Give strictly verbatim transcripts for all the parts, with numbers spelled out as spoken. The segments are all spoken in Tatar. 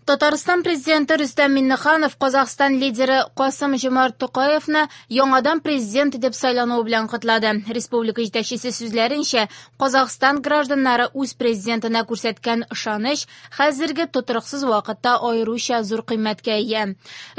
Татарстан президенты Рөстәм Миңнеханов Казахстан лидеры Касым-Жомарт Токаевны яңадан президент итеп сайлануы белән котлады. Республика җитәкчесе сүзләренчә, Казахстан гражданнары үз президентына күрсәткән ышаныч хәзерге тотрыксыз вакытта аеруча зур кыйммәткә ия.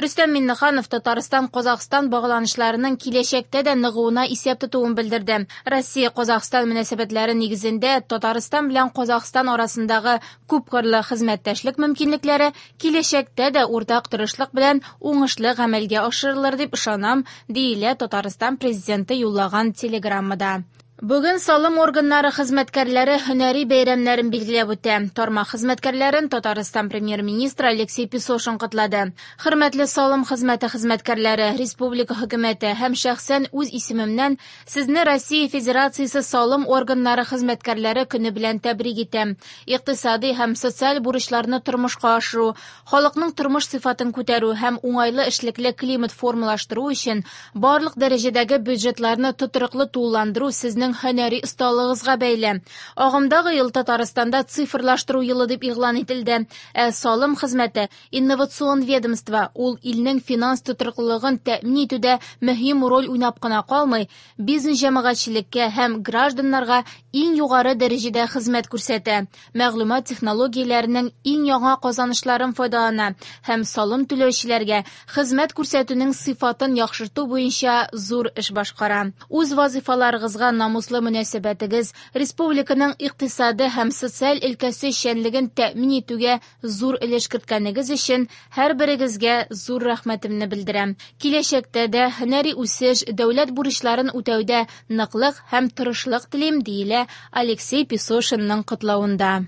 Рөстәм Миңнеханов Татарстан-Казахстан багланышларының киләчәктә дә ныгуына исәп тотуын белдерде. Россия-Казахстан мөнәсәбәтләре нигезендә Татарстан белән Казахстан арасындагы күпкырлы хезмәттәшлек мөмкинлекләре киләчәктә дә уртак тырышлык белән уңышлы гамәлгә ашырылыр дип ышанам, диелә Татарстан президенты юллаган телеграммада. Бүген салым органнары хезмәткәрләре һөнәри бәйрәмнәрен билгеләп үтә. Тармак хезмәткәрләрен Татарстан премьер-министры Алексей Песошин котлады. Хөрмәтле салым хезмәте хезмәткәрләре, республика хөкүмәте һәм шәхсән үз исемемнән сезне Россия Федерациясе салым органнары хезмәткәрләре көне белән тәбрик итәм. Икътисади һәм социаль бурычларны тормышка ашыру, халыкның тормыш сыйфатын күтәрү һәм уңайлы эшлекле климат формалаштыру өчен барлык дәрәҗәдәге бюджетларны тотрыклы тулыландыру сезнең һөнәри осталыгыгызга бәйле. Агымдагы ел Татарстанда цифрлаштыру елы дип игълан ителде. Ә салым хезмәте инновацион ведомство, ул илнең финанс тотрыклылыгын тәэмин итүдә мөһим роль уйнап кына калмый, бизнес җәмәгатьчелеккә һәм гражданнарга иң югары дәрәҗәдә хезмәт күрсәтә, мәгълүмат технологияләренең иң яңа казанышларын файдалана һәм салым түләүчеләргә хезмәт күрсәтүнең сыйфатын яхшырту буенча зур эш башкара. Үз вазифаларыгызга намуслы мөнәсәбәтегез республиканың икътисады һәм социаль өлкәсе эшчәнлеген тәэмин итүгә зур өлеш керткәнегез өчен һәрберегезгә зур рәхмәтемне белдерәм. Киләчәктә дә һөнәри үсеш, дәүләт бурычларын үтәүдә ныклык һәм тырышлык телим, диелә Алексей Песошинның котлавында.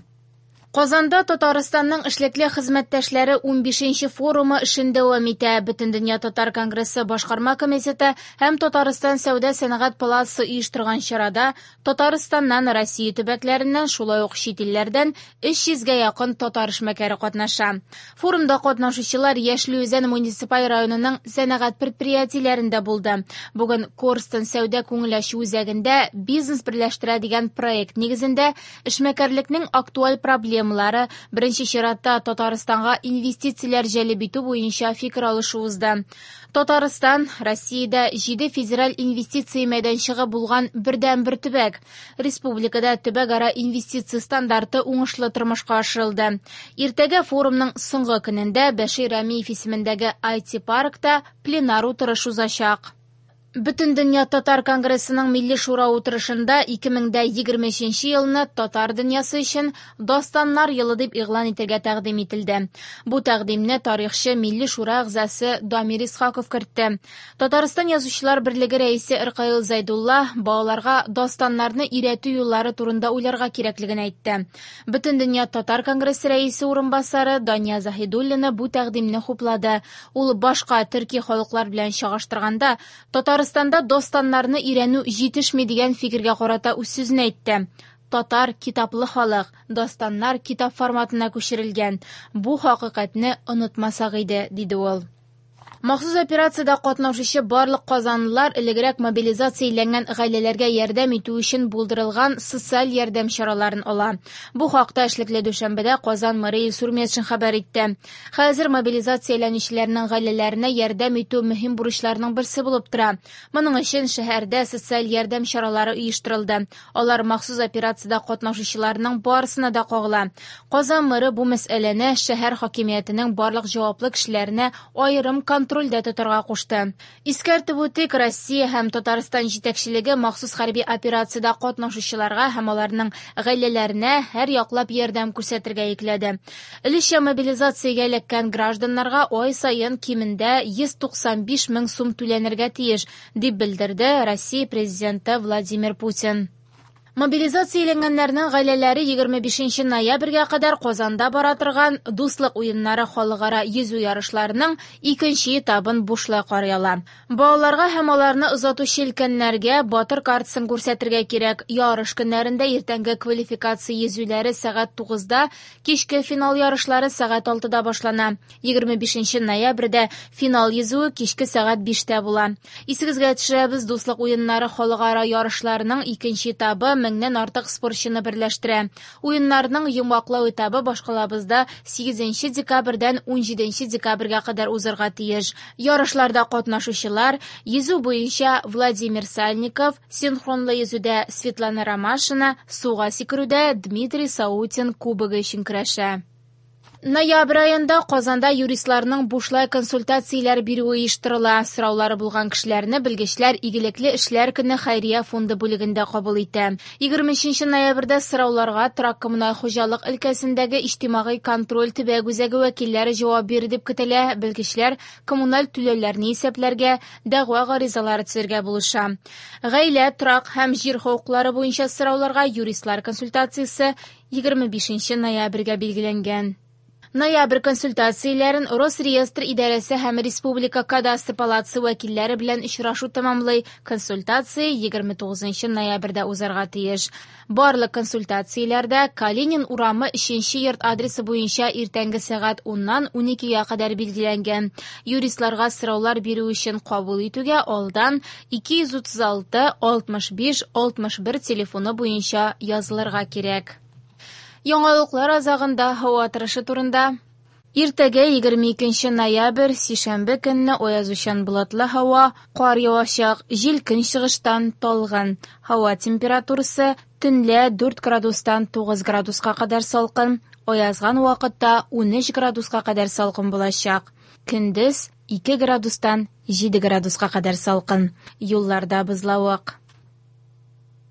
Казанда Татарстанның эшлекле хезмәттәшләре унбишенче форумы эшен дәвам итә. Бөтендөнья Татар конгрессы башкарма комитеты һәм Татарстан Сәүдә сәнәгать палатасы оештырган чарада Татарстаннан, Россия төбәкләреннән, шулай ук чит илләрдән өч йөзгә якын татар эшмәкәре катнаша. Форумда катнашучылар Яшел Үзән муниципаль районының сәнәгать предприятиеләрендә булды. Бүген Корстон сәүдә күңел ачу үзәгендә бизнес берләштерә дигән проект нигезендә эшмәкәрлекнең актуаль проблемалары, беренче чиратта Татарстанга инвестицияләр җәлеп итү буенча фикер алышу узды. Татарстан Россиядә җиде федераль инвестиция мәйданчыгы булган бердәнбер төбәк. Республикада төбәкара инвестиция стандарты уңышлы тормышка ашырылды. Иртәгә форумның соңгы көнендә Бәшир Рәмиев исемендәге ай ти-паркта пленар утырыш узачак. Бөтендөнья Татар конгрессының Милли шура утырышында ике мең дә егерме өченче елны татар дөньясы өчен Дастаннар елы дип игълан итәргә тәкъдим ителде. Бу тәкъдимне тарихчы Милли шура әгъзасы Дамир Исхаков кертте. Татарстан Язучылар берлеге рәисе Ркаил Зәйдулла балаларга дастаннарны өйрәтү юллары турында уйларга кирәклеген әйтте. Бөтендөнья Татар конгрессы рәисе урынбасары Дания Заһидуллина бу тәкъдимне хуплады. Ул башка төрки халыклар белән чагыштырганда Татар Татарстанда дастаннарны өйрәнү җитешми дигән фикергә карата үз сүзен әйтте. Татар китаплы халык, дастаннар китап форматына күчерелгән. Бу хакыйкатьне онытмасак иде, диде ул. Махсус операциядә катнашучы барлык казанлылар элегрәк мобилизацияләнгән гаиләләргә ярдәм итү өчен булдырылган социаль ярдәм чараларын ала. Бу хакта эшлекле дүшәмбедә Казан мэры Илсур Метшин хәбәр итте. Хәзер мобилизацияләнүчеләрнең гаиләләренә ярдәм итү мөһим бурычларның берсе булып тора. Моның өчен шәһәрдә социаль ярдәм чаралары оештырылды. Алар махсус операциядә катнашучыларның барысына да кагыла. Казан мэры бу мәсьәләне шәһәр хакимиятенең барлык җаваплы кешеләренә аерым контроль контрольдә тотарга кушты. Искәртеп үтик, Россия һәм Татарстан җитәкчелеге махсус хәрби операциядә катнашучыларга һәм аларның гаиләләренә һәр яклап ярдәм күрсәтергә йөкләде. Өлешчә мобилизациягә эләккән гражданнарга ай саен кимендә йөз туксан биш мең сум түләнергә тиеш, дип белдерде Россия президенты Владимир Путин. Мобилизацияләнгәннәрнең гаиләләре егерме бишенче ноябрьгә кадәр Казанда бара торган Дуслык уеннары халыкара йөзү ярышларының икенче этабын бушлай карый ала. Балаларга һәм аларны озатучы өлкәннәргә батыр картасын күрсәтергә кирәк. Ярыш көннәрендә иртәнге квалификация йөзүләре сәгать тугызда, кичке финал ярышлары сәгать алтыда башлана. Егерме бишенче ноябрьдә финал йөзүе кичке сәгать биштә була. Исегезгә төшерәбез, Дуслык уеннары халыкара ярышларының икенче этабы меңнән артык спортчыны берләштерә. Уеннарның йомгаклау этабы башкалабызда сигезенче декабрьдән унҗиденче декабрьгә кадәр узарга тиеш. Ярышларда катнашучылар йөзү буенча Владимир Сальников, синхронлы йөзүдә Светлана Ромашина, суга сикерүдә Дмитрий Саутин кубогы өчен көрәшә. Ноябрь аенда Казанда юристларның бушлай консультацияләр бирүе оештырыла. Сораулары булган кешеләрне белгечләр Игелекле эшләр көне хәйрия фонды бүлегендә кабул итә. Егерме өченче ноябрьдә сорауларга торак коммуналь хуҗалык өлкәсендәге иҗтимагый контроль төбәк үзәге вәкилләре җавап бирер дип көтелә. Белгечләр коммуналь түләүләрне исәпләргә, дәгъва гаризалары төзергә булыша. Гаилә, торак һәм җир хокуклары буенча сорауларга юристлар консультациясе егерме бишенче ноябрьгә билгеләнгән. Ноябрь консультацияләрен Росреестр идарәсе һәм Республика кадастр палатасы вәкилләре белән очрашу тәмамлый. Консультация егерме тугызынчы ноябрьдә узарга тиеш. Барлык консультацияләрдә Калинин урамы өченче йорт адресы буенча иртәнге сәгать уннан уникегә кадәр билгеләнгән. Юристларга сораулар бирү өчен кабул итүгә алдан ике йөз утыз алты алтмыш биш алтмыш бер телефоны буенча язылырга кирәк. Яңалыклар азагында һава торышы турында. Иртәгә егерме икенче ноябрь, сишәмбе көнне аязучан болытлы һава, кар явачак, җил көнчыгыштан талгын. Һава температурасы төнлә дүрт градустан тугыз градуска кадәр салкын, аязган вакытта унөч градуска кадәр салкын булачак. Көндез ике градустан җиде градуска кадәр салкын. Юлларда бозлавык.